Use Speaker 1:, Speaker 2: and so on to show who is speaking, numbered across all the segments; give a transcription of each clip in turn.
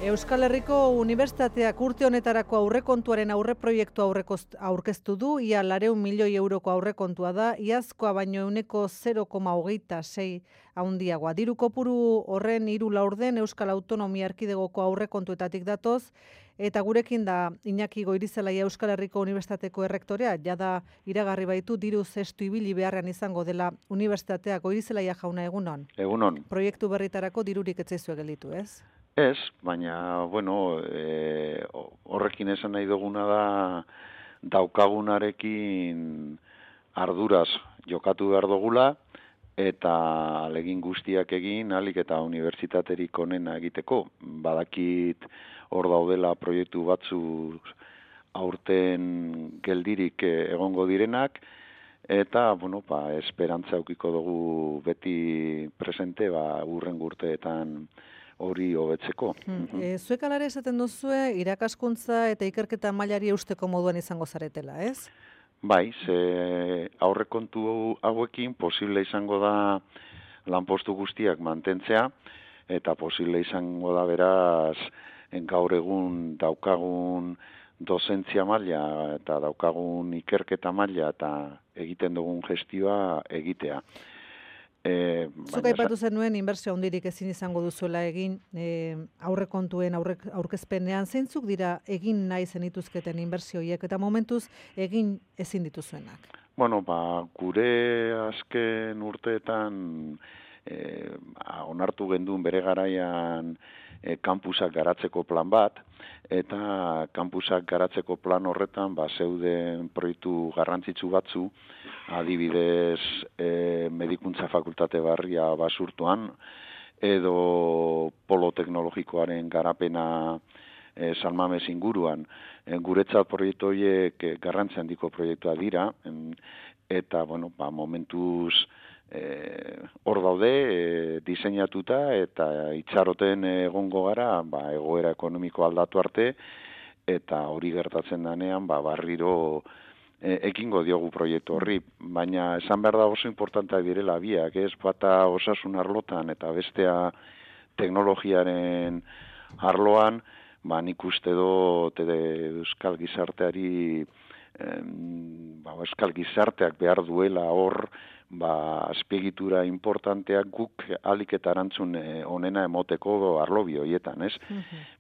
Speaker 1: Euskal Herriko Unibertsitateak urte honetarako aurrekontuaren aurreproiektua aurkeztu du, ia 400 milioi euroko aurrekontua da, iazkoa baino ehuneko 0,26 handiagoa. Diru kopuru horren 3/4 Euskal Autonomia Erkidegoko aurrekontuetatik datoz, eta gurekin da Iñaki Goirizelaia Euskal Herriko Unibertsitateko errektorea, jada iragarri baitu diru zestu ibili beharrean izango dela Unibertsitatea. Goirizelaia jauna, egunon.
Speaker 2: Egunon.
Speaker 1: Proiektu berritarako dirurik ez zaizue gelditu, ez?
Speaker 2: Ez, baina, horrekin esan nahi duguna da daukagunarekin arduraz jokatu behar dugula, eta alegin guztiak egin, ahalik eta unibertsitaterik onena egiteko. Badakit hor daudela proiektu batzu aurten geldirik egongo direnak, eta, esperantza aukiko dugu beti presente, hurrengo urteetan hori hobetzeko.
Speaker 1: Zuek alare esaten duzue, irakaskuntza eta ikerketa mailari eusteko moduan izango zaretela, ez?
Speaker 2: Bai, ze aurrekontu hauekin posible izango da lanpostu guztiak mantentzea, eta posible izango da beraz gaur egun daukagun dozentzia maila eta daukagun ikerketa maila eta egiten dugun gestioa egitea.
Speaker 1: Zuk aipatu zenuen inbertsio handirik ezin izango duzuela egin aurrekontuen aurkezpenean. Zeintzuk dira egin nahi zenituzketen inbertsioiek eta momentuz egin ezin dituzuenak?
Speaker 2: Gure azken urteetan onartu genduen bere garaian kampusak garatzeko plan bat, eta kampusak garatzeko plan horretan zeuden proiektu garrantzitsu batzu, adibidez medikuntza fakultate barria Basurtuan, edo polo teknologikoaren garapena San Mames inguruan. Guretzat proiektu horiek garrantzi handiko proiektua dira, eta momentuz hor daude diseinatuta eta itxaroten egongo gara egoera ekonomiko aldatu arte, eta hori gertatzen denean barriro ekingo diogu proiektu horri, baina esan behar da oso importantea direla biak, ez bata osasun arlotan eta bestea teknologiaren arloan, nik uste dut euskal gizarteari euskal gizarteak behar duela hor azpiegitura importanteak guk ahalik eta erantzun onena emoteko arlobi horietan, ez?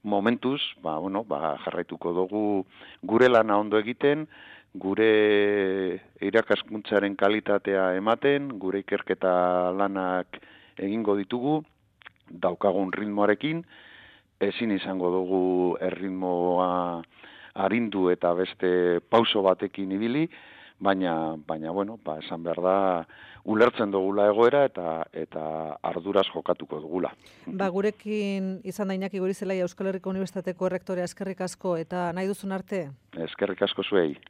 Speaker 2: Momentuz, jarraituko dugu gure lana ondo egiten, gure irakaskuntzaren kalitatea ematen, gure ikerketa lanak egingo ditugu, daukagun ritmoarekin, ezin izango dugu erritmoa arindu eta beste pauso batekin ibili, baina esan behar da, ulertzen dugula egoera eta arduraz jokatuko dugula.
Speaker 1: Gurekin izan da Iñaki Goirizelaia Euskal Herriko Unibertsitateko errektorea, eskerrik asko, eta nahi duzun arte?
Speaker 2: Eskerrik asko zuei.